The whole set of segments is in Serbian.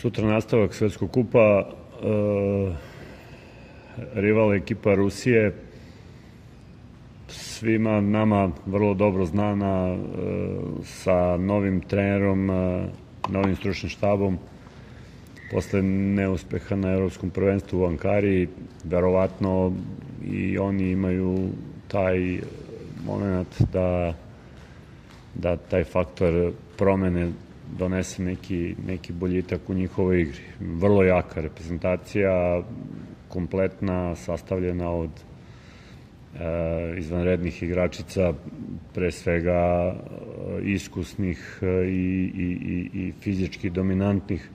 Sutra nastavak Svetskog kupa, rival ekipa Rusije, svima nama vrlo dobro znana, sa novim trenerom, novim stručnim štabom. Posle neuspeha na Evropskom prvenstvu u Ankari, verovatno i oni imaju taj moment da taj faktor promene donese neki boljitak u njihovoj igri. Vrlo jaka reprezentacija, kompletna, sastavljena od izvanrednih igračica, pre svega iskusnih i fizički dominantnih.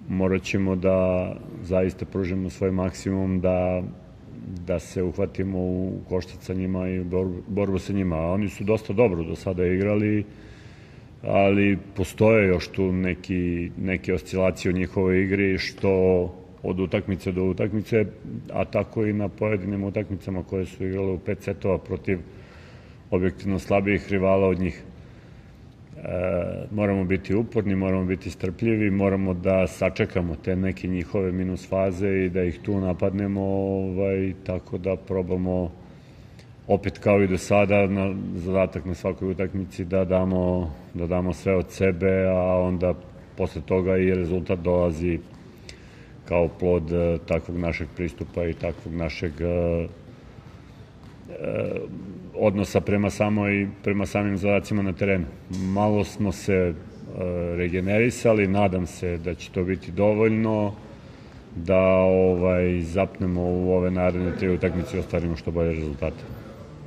Morat ćemo da zaista pružimo svoj maksimum da se uhvatimo u koštac sa njima i borbu sa njima. Oni su dosta dobro do sada igrali, ali postoje još tu neke oscilacije u njihovoj igri, što od utakmice do utakmice, a tako i na pojedinim utakmicama koje su igrale u 5 setova protiv objektivno slabijih rivala od njih. Moramo biti uporni, moramo biti strpljivi, moramo da sačekamo te neke njihove minus faze i da ih tu napadnemo, tako da probamo opet kao i do sada na zadatak na svakoj utakmici da damo sve od sebe, a onda posle toga i rezultat dolazi kao plod takvog našeg pristupa i takvog našeg odnosa prema samim zadacima na terenu. Malo smo se regenerisali, nadam se da će to biti dovoljno da zapnemo u ove naredne 3 utakmice i ostvarimo što bolje rezultate.